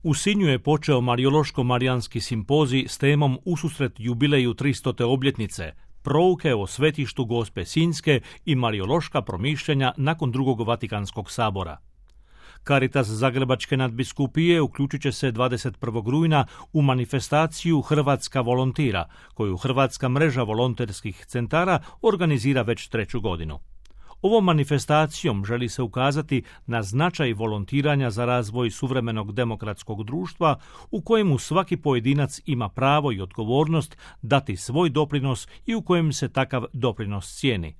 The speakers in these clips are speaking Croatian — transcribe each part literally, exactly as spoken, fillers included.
U Sinju je počeo Marijološko-marijanski simpozij s temom ususret jubileju tristote obljetnice, prouke o svetištu Gospe Sinjske i marijološka promišljanja nakon drugog Vatikanskog sabora. Caritas Zagrebačke nadbiskupije uključit će se dvadeset prvog rujna u manifestaciju Hrvatska volontira, koju Hrvatska mreža volonterskih centara organizira već treću godinu. Ovom manifestacijom želi se ukazati na značaj volontiranja za razvoj suvremenog demokratskog društva u kojemu svaki pojedinac ima pravo i odgovornost dati svoj doprinos i u kojem se takav doprinos cijeni.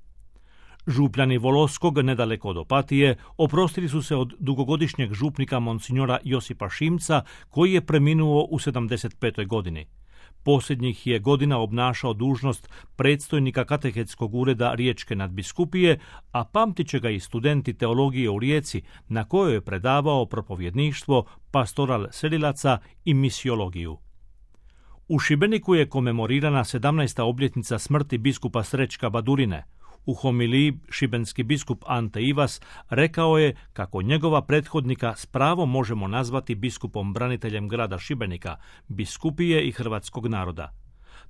Župljani Voloskog, nedaleko od Opatije, oprostili su se od dugogodišnjeg župnika monsignora Josipa Šimca, koji je preminuo u sedamdeset petoj godini. Posljednjih je godina obnašao dužnost predstojnika katehetskog ureda Riječke nadbiskupije, a pamtit će ga i studenti teologije u Rijeci, na kojoj je predavao propovjedništvo, pastoral selilaca i misiologiju. U Šibeniku je komemorirana sedamnaesta obljetnica smrti biskupa Srećka Badurine. U homiliji šibenski biskup Ante Ivas rekao je kako njegova prethodnika s pravom možemo nazvati biskupom braniteljem grada Šibenika, biskupije i hrvatskog naroda.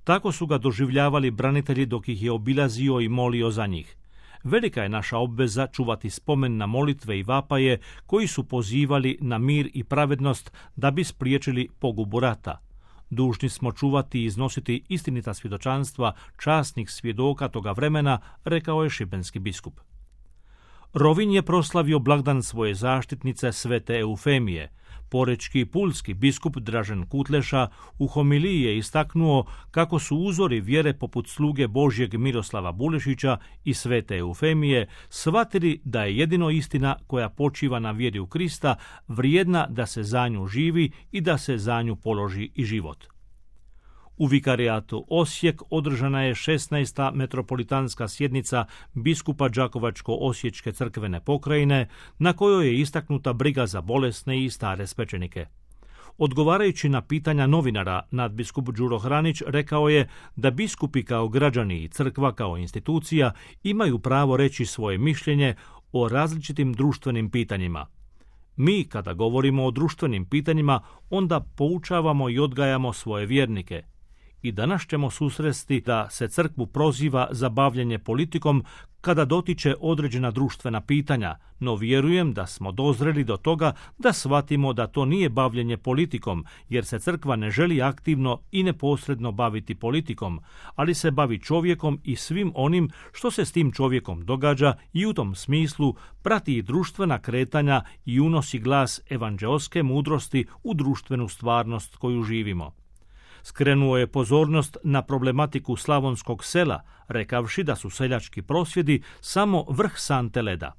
Tako su ga doživljavali branitelji dok ih je obilazio i molio za njih. Velika je naša obveza čuvati spomen na molitve i vapaje koji su pozivali na mir i pravednost da bi spriječili pogubu rata. Dužni smo čuvati i iznositi istinita svjedočanstva časnih svjedoka toga vremena, rekao je šibenski biskup. Rovinj je proslavio blagdan svoje zaštitnice svete Eufemije. Porečki i pulski biskup Dražen Kutleša u homiliji je istaknuo kako su uzori vjere poput sluge Božjeg Miroslava Bulešića i svete Eufemije shvatili da je jedino istina koja počiva na vjeri u Krista vrijedna da se za nju živi i da se za nju položi i život. U vikarijatu Osijek održana je šesnaesta metropolitanska sjednica biskupa Đakovačko-osječke crkvene pokrajine, na kojoj je istaknuta briga za bolesne i stare svećenike. Odgovarajući na pitanja novinara, nadbiskup Đuro Hranić rekao je da biskupi kao građani i crkva kao institucija imaju pravo reći svoje mišljenje o različitim društvenim pitanjima. Mi, kada govorimo o društvenim pitanjima, onda poučavamo i odgajamo svoje vjernike. I danas ćemo susresti da se crkvu proziva za bavljenje politikom kada dotiče određena društvena pitanja, no vjerujem da smo dozreli do toga da shvatimo da to nije bavljenje politikom, jer se crkva ne želi aktivno i neposredno baviti politikom, ali se bavi čovjekom i svim onim što se s tim čovjekom događa i u tom smislu prati i društvena kretanja i unosi glas evanđeoske mudrosti u društvenu stvarnost koju živimo. Skrenuo je pozornost na problematiku slavonskog sela, rekavši da su seljački prosvjedi samo vrh sante leda.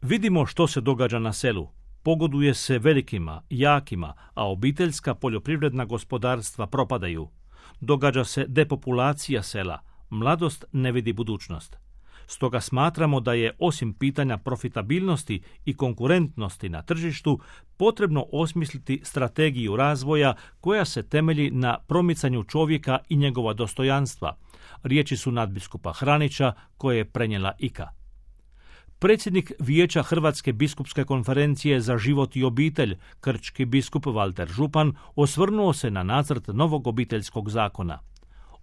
Vidimo što se događa na selu. Pogoduje se velikima, jakima, a obiteljska poljoprivredna gospodarstva propadaju. Događa se depopulacija sela, mladost ne vidi budućnost. Stoga smatramo da je osim pitanja profitabilnosti i konkurentnosti na tržištu potrebno osmisliti strategiju razvoja koja se temelji na promicanju čovjeka i njegova dostojanstva. Riječi su nadbiskupa Hranića koje je prenijela I K A. Predsjednik Vijeća Hrvatske biskupske konferencije za život i obitelj, krčki biskup Valter Župan, osvrnuo se na nacrt novog obiteljskog zakona.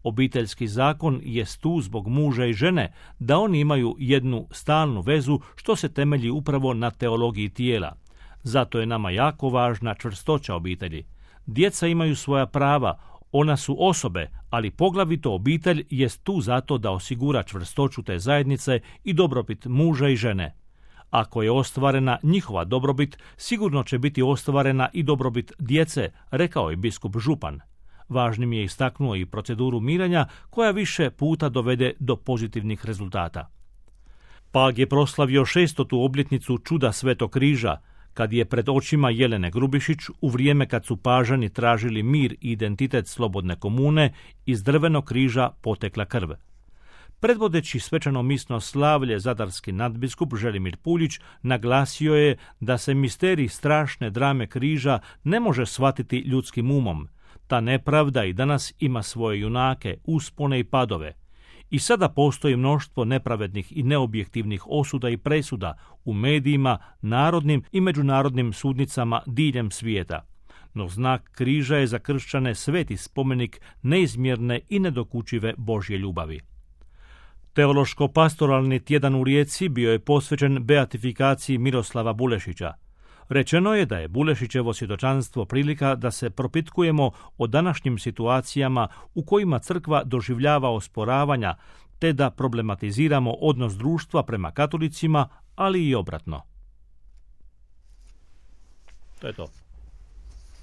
Obiteljski zakon jest tu zbog muža i žene, da oni imaju jednu stalnu vezu što se temelji upravo na teologiji tijela. Zato je nama jako važna čvrstoća obitelji. Djeca imaju svoja prava, ona su osobe, ali poglavito obitelj jest tu zato da osigura čvrstoću te zajednice i dobrobit muža i žene. Ako je ostvarena njihova dobrobit, sigurno će biti ostvarena i dobrobit djece, rekao je biskup Župan. Važnim je istaknuo i proceduru mirenja koja više puta dovede do pozitivnih rezultata. Pag je proslavio šestotu obljetnicu čuda Svetog križa, kad je pred očima Jelene Grubišić, u vrijeme kad su Pažani tražili mir i identitet slobodne komune, iz drvenog križa potekla krv. Predvodeći svečano misno slavlje zadarski nadbiskup Želimir Puljić naglasio je da se misterij strašne drame križa ne može shvatiti ljudskim umom. Ta nepravda i danas ima svoje junake, uspone i padove. I sada postoji mnoštvo nepravednih i neobjektivnih osuda i presuda u medijima, narodnim i međunarodnim sudnicama diljem svijeta. no znak križa je za kršćane sveti spomenik neizmjerne i nedokučive Božje ljubavi. Teološko-pastoralni tjedan u Rijeci bio je posvećen beatifikaciji Miroslava Bulešića. Rečeno je da je Bulešićevo svjedočanstvo prilika da se propitkujemo o današnjim situacijama u kojima crkva doživljava osporavanja, te da problematiziramo odnos društva prema katolicima, ali i obratno. To je to.